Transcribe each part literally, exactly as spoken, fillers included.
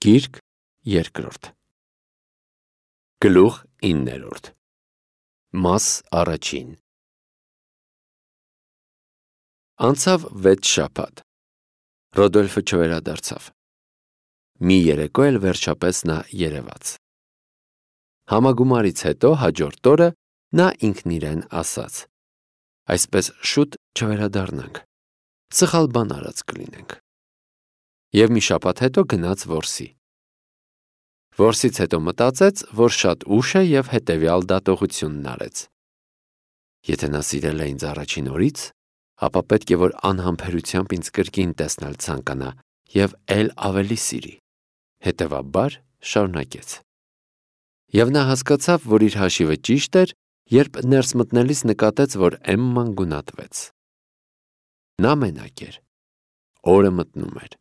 Գիրք երկրորդ Գլուխ իններորդ Մաս առաջին Անցավ վեց շաբաթ Ռոդոլֆը չվերադարձավ Մի երեկո էլ վերջապես նա երևաց Համագումարից հետո հաջորդ օրը նա ինքն իրեն ասաց Այսպես շուտ չվերադառնանք Սխալ բան արած կլինենք Եվ մի շաբաթ հետո գնաց որսի Որսից հետո մտածեց, որ շատ ուշ է և հետևյալ դատողությունն արեց Եթե նա սիրել է ինձ առաջին օրից, ապա պետք է, որ անհամբերությամբ ինձ կրկին տեսնել ցանկանա և էլ ավելի սիրի Հետևաբար շարունակեց Եվ նա հասկացավ, որ իր հաշիվը ճիշտ էր, երբ ներս մտնելիս նկատեց, որ Էմման գունատվեց Նա մենակ էր, օրը մտնում էր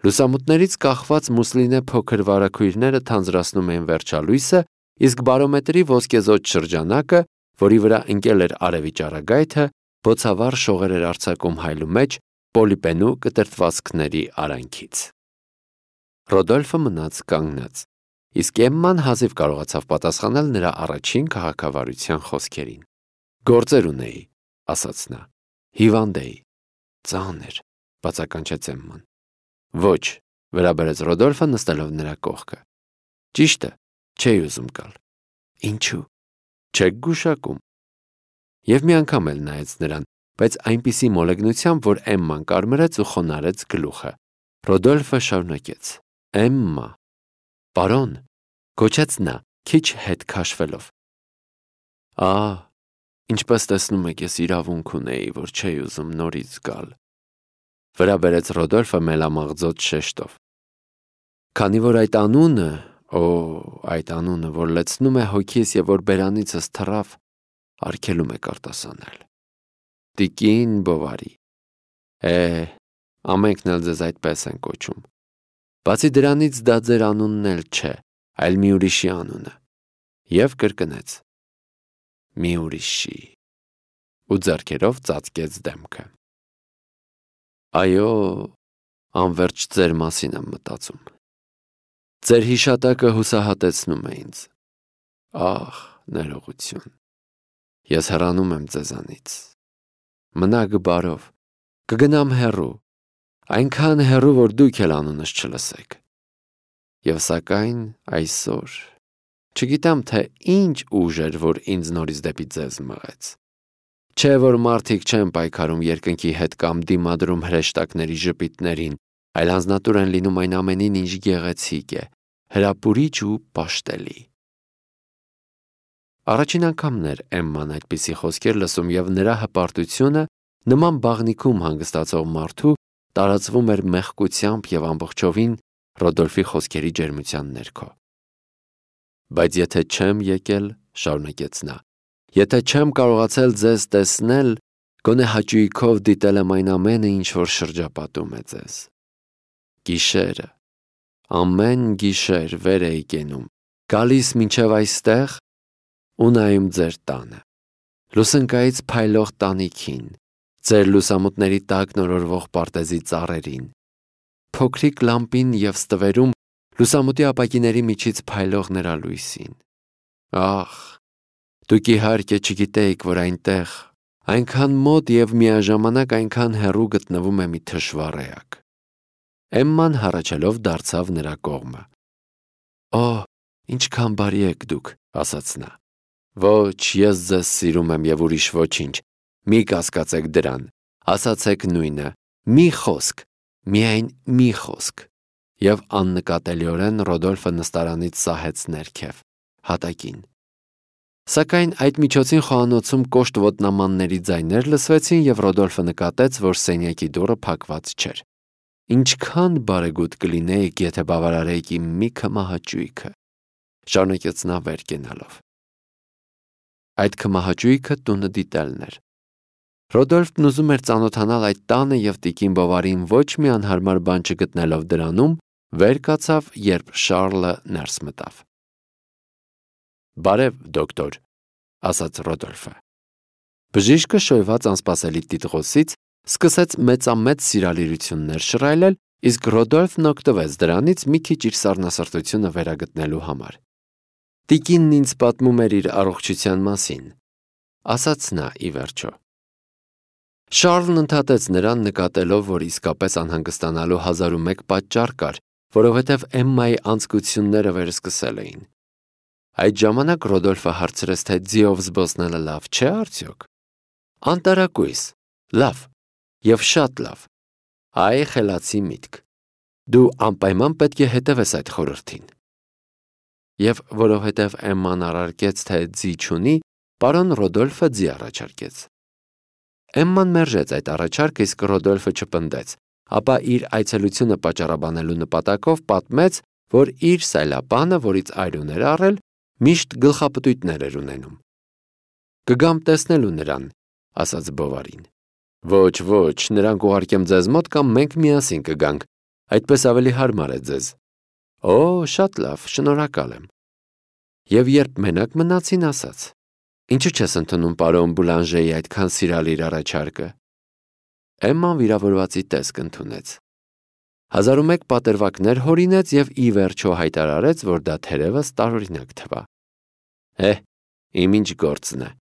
Լուսամուտներից կախված Մուսլինե փոքր վարագույրները թանձրացնում էին վերջալույսը, իսկ բարոմետրի ոսկեզօծ շրջանակը, որի վրա ընկել էր արևի ճառագայթը, բոցավառ շողեր էր արձակում հայլու մեջ պոլիպենու կտրտվածքների արանքից։ Ռոդոլֆը մնաց կանգնած, իսկ Էմման հազիվ կարողացավ պատասխանել նրա առաջին քաղաքավարության խոսքերին։ Գործեր ունեի, ասաց նա, հիվանդ էի, ծանր, բացականչեց Էմման։ Ոչ, վերաբերեց Ռոդոլֆը նստելով նրա կողքը։ Ճիշտը, չէի ուզում գալ։ Ինչու՞։ Չեք գուշակում։ Եվ մի անգամ էլ նայեց նրան, բայց այնպիսի մոլեգնությամբ, որ Էմման կարմրեց ու խոնարհեց գլուխը։ Ռոդոլֆը շարունակեց. Էմմա, պարոն, գոչեց նա, քիչ հետ քաշվելով։ Ահ, ինչպես տեսնում եք, ես իրավունք ունեի, որ չէի ուզում նորից գալ։ Վերաբերեց Ռոդոլֆը մելամաղձոտ շեշտով։ Քանի որ այդ անունը, օ, այդ անունը, որ լցնում է հոգիս և որ բերանիցս թռավ, արգելում եք արտասանել։ Տիկին Բովարի։ Է, ամենքն էլ ձեզ այդպես են կոչում։ Բացի դրանից դա ձեր անունն էլ չէ, այլ մի ուրիշի անունը։ Եվ կրկնեց. Մի ուրիշի։ Ու ձեռքերով ծածկեց դեմքը։ Այո, անվերջ ձեր մասին եմ մտածում։ Ձեր հիշատակը հուսահատեցնում է ինձ։ Ահ, ներողություն։ Ես հեռանում եմ ձեզանից։ Մնաք բարով, կգնամ հեռու, այնքան հեռու, որ դուք էլ անունս չլսեք։ Եվ սակայն այսօր, չգիտեմ, թե ինչ ուժ էր, որ ինձ նորից դեպի ձեզ մղեց։ Չէ, որ մարդիկ չեն պայքարում երկնքի հետ կամ դիմադրում հրեշտակների ժպիտներին, այլ անձնատուր են լինում այն ամենին, ինչ գեղեցիկ է, հրապուրիչ ու պաշտելի։ Առաջին անգամն էր Էմման այդպիսի խոսքեր լսում և նրա հպարտությունը նման բաղնիքում հանգստացող մարդու տարածվում էր մեղկությամբ և ամբողջովին Ռոդոլֆի խոսքերի ջերմության ներքո։ Բայց եթե չեմ եկել, շարունակեց նա, եթե չեմ կարողացել ձեզ տեսնել, գոնե հաճույքով դիտել եմ այն ամենը, ինչ որ շրջապատում է ձեզ։ Գիշերը, ամեն գիշեր վեր էի կենում, գալիս մինչև այստեղ ու նայում ձեր տանը, լուսնկայից փայլող տանիքին, ձեր լուսամուտների տակ նորորվող պարտեզի ծառերին, փոքրիկ լամպին և ստվերում լուսամուտի ապակիների միջից փայլող նրա լույսին։ Ախ, դուք իհարկե չգիտեիք, որ այնտեղ, այնքան մոտ և միաժամանակ այնքան հեռու գտնվում է մի թշվառ էակ։ Էմման հառաչելով դարձավ նրա կողմը։ Օ, ինչքան բարի եք դուք, ասաց նա։ Ոչ, ես ձեզ սիրում եմ և ուրիշ ոչինչ, մի կասկածեք դրան, ասացեք նույնը, մի խոսք, միայն մի խոսք։ Եվ աննկատելիորեն Ռոդոլֆը նստարանից սահեց ներքև, հատակին։ Սակայն այդ միջոցին խոհանոցում կոշտ ոտնամանների ձայներ լսվեցին և Ռոդոլֆը նկատեց, որ սենյակի դուռը փակված չէր։ Ինչքան բարեգութ կլինեիք, եթե բավարարեիք իմ մի քմահաճույքը, շարունակեց նա վեր կենալով։ Այդ քմահաճույքը տունը դիտելն էր։ Ռոդոլֆն ուզում էր ծանոթանալ այդ տանը և տիկին Բովարին ոչ մի անհարմար բան չգտնելով դրանում, վեր կացավ, երբ Շառլը ներս մտավ։ Բարև, դոկտոր, ասաց Ռոդոլֆը։ Բժիշկը շոյված անսպասելի տիտղոսից սկսեց մեծամեծ սիրալիրություններ շռայլել, իսկ Ռոդոլֆն օգտվեց դրանից մի քիչ իր սառնասրտությունը վերագտնելու համար։ Տիկինն ինձ պատմում էր իր առողջության մասին, ասաց նա ի վերջո։ Շարլն ընդհատեց նրան, նկատելով, որ իսկապես անհանգստանալու հազար ու մեկ պատճառ կար, որովհետև Էմմայի անձկությունները վերսկսել էին։ Այդ ժամանակ Ռոդոլֆը հարցրեց, թե ձիով զբոսնելը լավ չէ արդյոք։ Անտարակույս, լավ, և շատ լավ։ Այ խելացի միտք։ Դու անպայման պետք է հետևես այդ խորհրդին։ Եվ որովհետև Էմման առարկեց, թե ձի չունի, պարոն Ռոդոլֆը ձի առաջարկեց։ Էմման մերժեց այդ առաջարկը, իսկ Ռոդոլֆը չպնդեց, ապա իր այցելությունը պատճառաբանելու նպատակով պատմեց, որ իր սայլապանը, որից այրուն էր առել, միշտ գլխապտույտներ էր ունենում։ Կգամ տեսնելու նրան, ասաց Բովարին։ Ոչ, ոչ, նրան կուղարկեմ ձեզ մոտ կամ մենք միասին կգանք, այդպես ավելի հարմար է ձեզ։ Օ, շատ լավ, շնորհակալ եմ։ Եվ երբ մենակ մնացին, ասաց. Ինչու չես ընդունում պարոն Բուլանժեի այդքան սիրալ իր առաջարկը։ Էմման վիրավորվածի տեսք ընդունեց։ Հազար ու մեկ պատերվակներ հորինեց և ի վերջո հայտարարեց, որ դա թերևս տարօրինակ թվա։ Հե, իմ ինչ գործն է,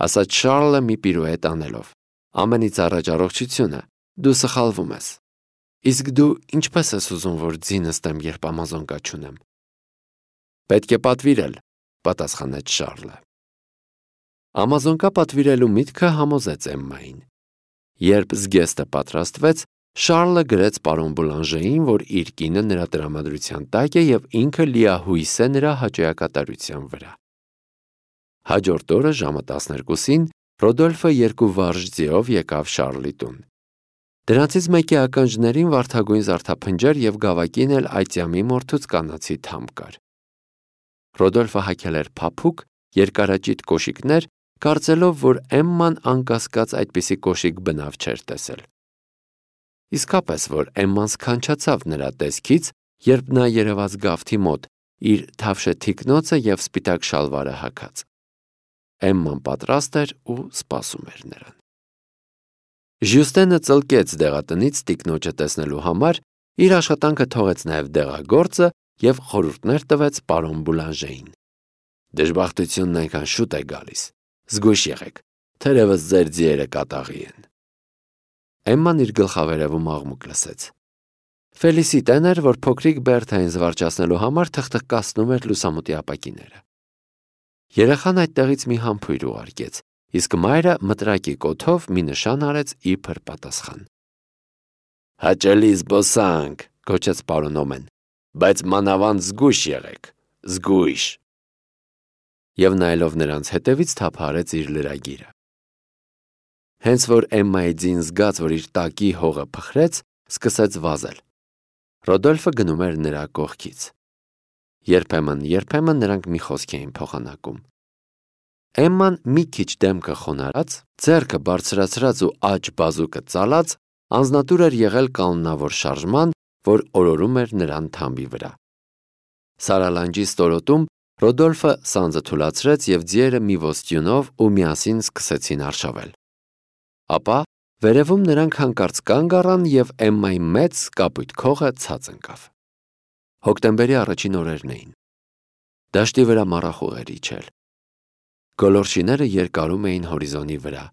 ասաց Շարլը մի պիրուետ անելով։ Ամենից առաջ առողջությունը, դու սխալվում ես։ Իսկ դու ինչպես ես ուզում, որ ձի նստեմ, երբ ամազոնկա չունեմ։ Պետք է պատվիրել, պատասխանեց Շարլը։ Ամազոնկա պատվիրելու միտքը համոզեց Էմմային։ Երբ զգեստը պատրաստվեց, Շարլը գրեց պարոն Բուլանժեին, որ իր կինը նրա տրամադրության տակ է և ինքը լիահույս է նրա հաճոյակատարության վրա։ Հաջորդ օրը ժամը տասներկուսին Ռոդոլֆը երկու վարժ ձիով եկավ Շարլի տուն։ Դրանցից մեկի ականջներին վարդագույն զարդափնջեր և գավակին էլ այծյամի մորթուց կանացի թամ կար։ Ռոդոլֆը հագել էր փափուկ, երկարաճիտ կոշիկներ, կարծելով, որ Էմման անկասկած այդպիսի կոշիկ բնավ չէր տեսել։ Իսկապես, որ Էմման սքանչացավ նրա տեսքից, երբ նա երևաց գավթի մոտ, իր թավշե թիկնոցը և սպիտակ շալվարը հագած։ Էմման պատրաստ էր ու սպասում էր նրան։ Ժյուստենը ծլկեց դեղատնից տիկնոջը տեսնելու համար, իր աշխատանքը թողեց նաև դեղագործը և խորհուրդներ տվեց պարոն Բուլանժեին։ Դժբախտությունն այնքան շուտ է գալիս, զգույշ եղեք, թերևս ձեր ձիերը կատաղի են։ Էմման իր գլխավերևում աղմուկ լսեց։ Ֆելիսիտեն էր, որ փոքրիկ Բերթային զվարճացնելու համար թխթխկացնում էր լուսամուտի ապակիները։ Երեխան այդտեղից մի համբույր ուղարկեց, իսկ մայրը մտրակի կոթով մի նշան արեց իբր պատասխան։ Հաճելի զբոսանք, գոչեց պարոն Օմեն, բայց մանավանդ զգույշ եղեք, զգույշ։ Եվ նայելով նրանց հետևից թափահարեց իր լրագիրը։ Հենց որ Էմմայի ձին զգաց, որ իր տակի հողը փխրեց, սկսեց վազել։ Ռոդոլֆը գնում էր նրա կողքից։ Երբեմն, երբեմն նրանք մի խոսք էին փոխանակում։ Էմման մի քիչ դեմքը խոնարհած, ձեռքը բարձրացրած ու աջ բազուկը ծալած, անձնատուր էր եղել կանոնավոր շարժման, որ օրորում էր նրան թամբի վրա։ Սարալանջի ստորոտում Ռոդոլֆը սանձը թուլացրեց և ձիերը մի ոստյունով ու միասին սկսեցին արշավել։ Ապա վերևում նրանք հանկարծ կանգ առան և Էմմայի մեծ կապույտ քողը ցած ընկավ։ Հոկտեմբերի առաջին օրերն էին։ Դաշտի վրա մառախուղ էր իջել։ Գոլորշիները երկարում էին հորիզոնի վրա։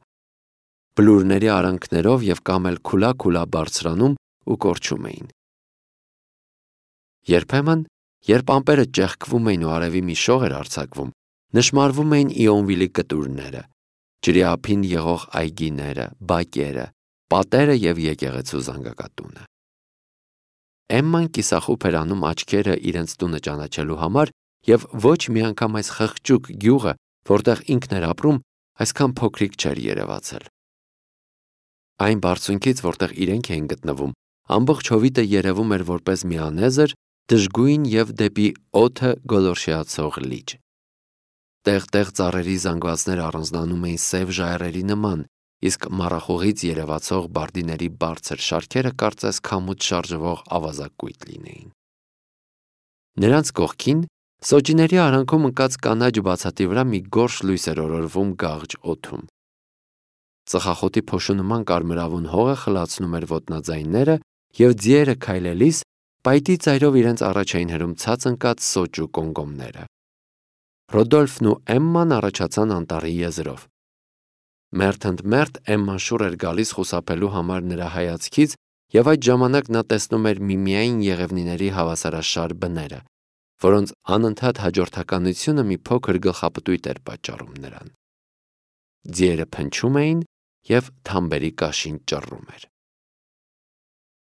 Բլուրների արանքներով և կամ էլ քուլա-քուլա բարձրանում ու կորչում էին։ Երբեմն, երբ ամպերը ճեղքվում էին ու արևի մի շող էր արձակվում, նշմարվում էին Իոնվիլի կտուրները, ջրի ափին եղող այգիները, բակերը, պատերը և եկեղեցու զանգակատունը։ Էմման կիսախուփ էր անում աչքերը իրենց տունը ճանաչելու համար և ոչ մի անգամ այս խղճուկ գյուղը, որտեղ ինքն էր ապրում, այսքան փոքրիկ չէր երևացել։ Այն բարձունքից, որտեղ իրենք էին գտնվում, ամբողջ հովիտը երևում էր որպես մի անեզր, դժգույն և դեպի օդը գոլորշիացող լիճ։ Տեղ-տեղ ծառերի զանգվածները առանձնանում էին սև ժայռերի նման, իսկ մառախուղից երևացող բարդիների բարձր շարքերը կարծես քամուց շարժվող ավազակույտ լինեին։ Նրանց կողքին սոճիների արանքում ընկած կանաչ բացատի վրա մի գորշ լույս էր օրորվում գաղջ օդում։ Ծխախոտի փոշու նման կարմրավուն հողը խլացնում էր ոտնաձայնները և ձիերը քայլելիս պայտի ծայրով իրենց առաջ էին հրում ցած ընկած սոճու կոմկոմները։ Ռոդոլֆն ու Էմման առաջացան անտառի եզրով։ Մերթ ընդ մերթ Էմման շուռ էր գալիս խուսափելու համար նրա հայացքից, և այդ ժամանակ նա տեսնում էր միմիային եղևնիների հավասարաշար բները, որոնց անընդհատ հաջորդականությունը մի փոքր գլխապտույտ էր պատճառում նրան։ Ձիերը փնչում էին, և թամբերի կաշին ճռռում էր։